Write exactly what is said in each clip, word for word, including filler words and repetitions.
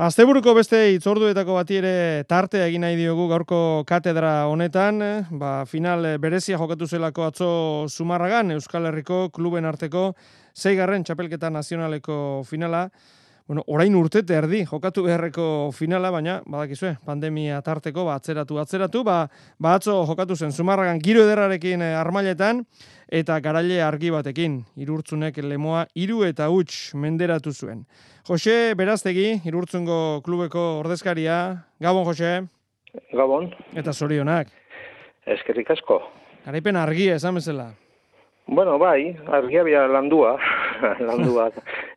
Asteburuko beste hitzorduetako bati ere tartea egin nahi diogu gaurko katedra honetan, ba, final berezia jokatu zelako atzo Zumarragan, Euskal Herriko kluben arteko seigarren txapelketa nazionaleko finala. Bueno, orain urtete erdi jokatu beharreko finala, baina badakizue, pandemia tarteko ba atzeratu atzeratu, ba, ba atzo jokatu zen Zumarragan giro ederrarekin Armailetan eta garaile argi batekin. Irurtzunek lemoa hiru eta huts menderatu zuen. Jose Beraztegi, Irurtzungo klubeko ordezkaria. Gabon, Jose. Gabon. Eta zorionak. Eskerrik asko. Garaipen argia, esan bezala. Bueno, bai, argia bia landua. landua.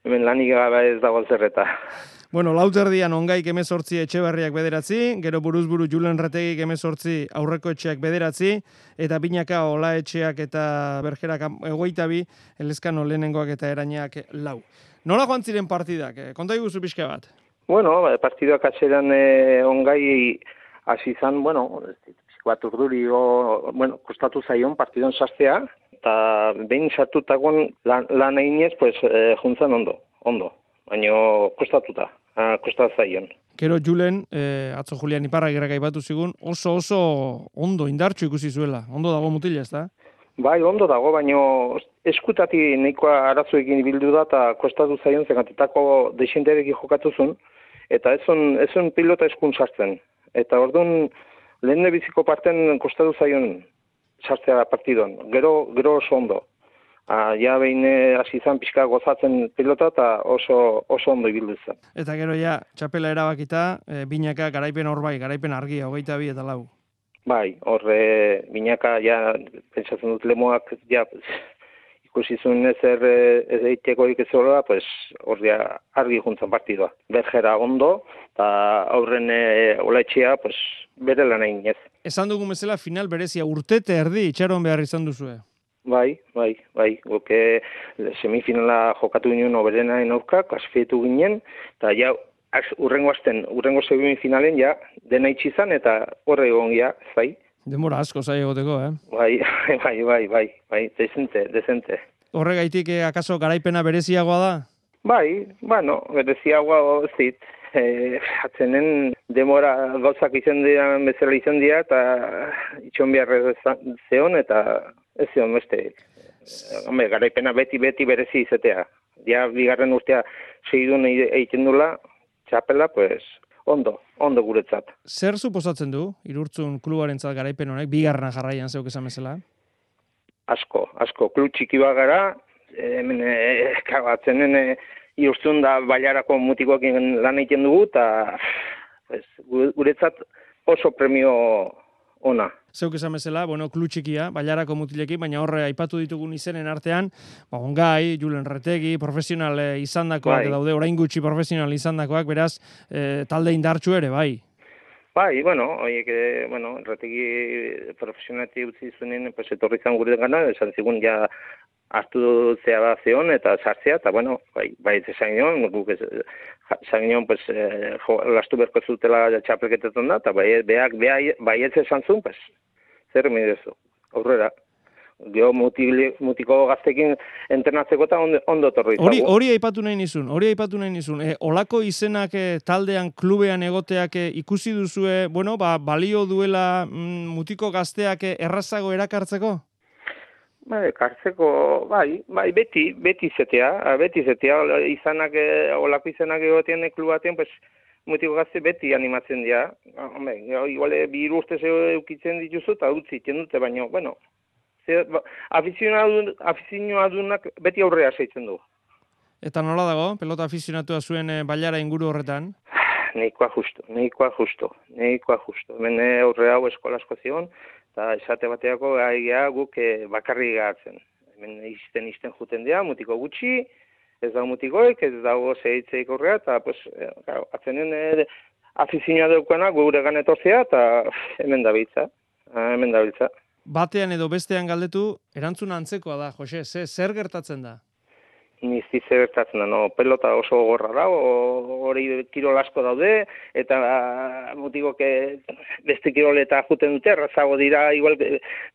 Hemen lanik gabe ez dago zerreta. Bueno, lauterdian ongaik emezortzi Etxeberriak bederatzi, gero buruzburu Julen Retegik emezortzi aurreko etxeak bederatzi, eta binaka Ola etxeak eta Bergerak egoita bi, Elezkano lehenengoak eta Erainak lau. Nola joan ziren partidak? Konta iguzu pixka bat? Bueno, partiduak atzeran eh, ongai hasi izan, bueno, bat urduri, o, bueno, kostatu zaion partidon sartzea, eta behin sartutagoan lan, lan eginez, pues, eh, juntzan ondo, ondo, baina kostatuta. Ah, kosta zaion. Gero Julen, eh, atzo Julian Iparra gerrak aipatu zigun, oso oso ondo indartxu ikusi zuela. Ondo dago mutila, ez da? Bai, ondo dago, baina eskutati nahikoa arazoekin bildu da eta kostatu zaion zegatetako desienterekin jokatu zuen, eta ez zuen pilota eskun sartzen. Eta orduan lehen biziko parten kostatu zaion sartzea partidoan. Gero, gero oso ondo. Ah, ja behin hasi izan pixka gozatzen pilota eta oso, oso ondo ibildu zen. Eta gero ja, txapela erabakita, e, binaka garaipen hor bai, garaipen argia, hogeita bi eta lau. Bai, horre binaka ja, pentsatzen dut lemoak, ja, ikusi zuen ezer ez eitekorik ez horrela, pues, hor ja, argi juntzen partidua. Bergera ondo, eta aurren e, Olaetxea, pues, bere lan egin ez. Esan dugun bezala, final berezia urtete erdi itxaron behar izan duzue. Bai, bai, bai, goke semifinala jokatu ginen oberenaren aurka, kasfietu ginen, eta ja, urrengo azten, urrengo semifinalen, ja, dena itxizan, eta horre egon ja, bai. Denbora asko zai egoteko, eh? Bai, bai, bai, bai, bai, dezente, dezente. Horregaitik, eh, akaso garaipena bereziagoa da? Bai, bueno, bereziagoa zit, eh, atzenen demora gauzak izan dira, bezala izan dira, eta itxon behar zeon, eta ez zion beste, hombre, garaipena beti-beti berezi izatea. Ja, bigarren urtea segidun egiten dula, txapela, pues, ondo, ondo guretzat. Zer suposatzen du, Irurtzun klubarentzat garaipen honek, bigarrena jarraian zeuk esan bezala? Asko, asko, klub txiki bat gara, hemen, e, kagatzenen, e, Irurtzun da bailarako mutikoekin lan egiten dugu, eta pues, guretzat oso premio ona. Zeuk esan bezala, bueno, klub txikia, bailarako mutilekin, baina horre aipatu ditugun izenen artean, ba, ongai, Julen Retegi, profesional e, izandakoak, bai. Daude, orain gutxi profesional izandakoak, beraz, e, talde indartsu ere, bai? Bai, bueno, oiek, e, bueno, Retegi profesionalti utzi zuenen, pues, etorri zan gure gana, esan zigun, ja, hartu zea da zeon, eta sartzea, eta, bueno, bai, bai, ez esan nion, guk ez, esan nion, pues, e, jo, lastu berko zutela txapelketetan da, eta bai, beak, bai, bai ez esan zuen, pues, zer midezu, aurrera. Geo mutiko gaztekin entrenatzeko eta ondo, ondo torri. Hori, hori aipatu nahi nizun, hori aipatu nahi nizun. E, olako izenak e, taldean, klubean egoteak e, ikusi duzue, bueno, ba, balio duela mm, mutiko gazteak e, errazago erakartzeko? Ba, ekartzeko, bai, bai, beti, beti zetea, beti zetea, izanak, olako izanak egotean klubatean, pues, mutiko gazte beti animatzen dira. Hombre, igual, bi urte eukitzen dituzu eta utzi iten dute, baina, bueno, afizionadunak beti aurrea seitzen du. Eta nola dago, pelota afizionatua zuen e, bailara inguru horretan? Neikoa justo, neikoa justo, neikoa justo. Hemen aurre hau eskolasko zion, eta esate bateako gaia guk e, bakarri gatzen. Hemen izten izten juten dira, mutiko gutxi, ez dago mutikoek, ez dago zehitzeik horrea, eta pues, e, atzenen e, afizioa daukana gure ganetorzea, eta hemen dabiltza, hemen dabiltza. Batean edo bestean galdetu, erantzuna antzekoa da, Jose, ze, zer gertatzen da? Nizti zer gertatzen da, no, pelota oso gorra da, hori kirol asko daude, eta mutiko beste kirol eta juten dute, errazago dira, igual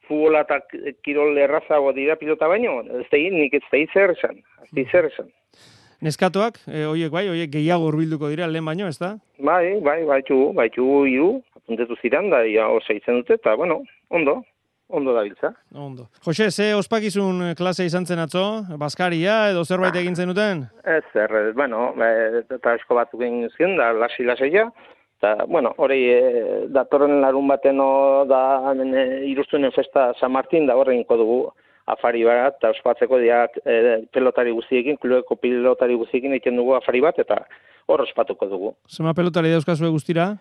futbola eta kirol errazago dira pilota baino, ez da nik ez da zer esan, ez da zer esan. Neskatoak, e, oiek bai, oiek gehiago hurbilduko dira lehen baino, ez da? Bai, bai, baitu, baitu hiru, apuntetu ziren, da, ja, osa itzen dute, eta, bueno, ondo, ondo da biltza. Ondo. Jose, ze ospakizun klase izan zen atzo? Baskaria edo zerbait egin zenuten? Ez, er, bueno, eta esko batzuk egin ziren, da, lasi-laseia, eta, bueno, hori, e, datorren larun bateno da, hemen, e, Iruztunen festa San Martin, da horre inko dugu afari bat, eta ospatzeko diak e, pelotari guztiekin, klubeko pelotari guztiekin egiten dugu afari bat, eta hor ospatuko dugu. Zema pelotari dauzkazue guztira?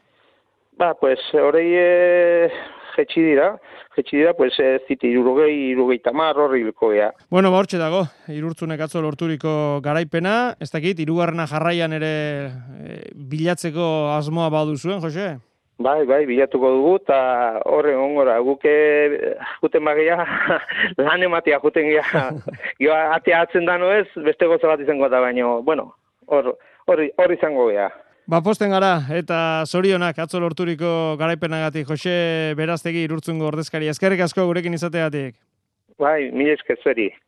Ba, pues, hori e, jetxi dira, jetxi dira, pues, ez ziti irurogei, irurogei tamar, horri bilko gea. Bueno, ba, hortxe dago, Irurtzunek atzo lorturiko garaipena, ez dakit, hirugarrena jarraian ere e, bilatzeko asmoa baduzuen, Jose? Bai, bai, bilatuko dugu, eta horre ongora, guke juten bagia, lan ematea juten gea, jo, atea atzen dano ez, beste goza bat izango da, baino, bueno, hor, hor, hor izango gea. Ba, posten gara, eta zorionak atzo lorturiko garaipenagatik, Jose Beraztegi Irurtzungo ordezkari. Eskerrik asko gurekin izateagatik. Bai, mila esker zuri.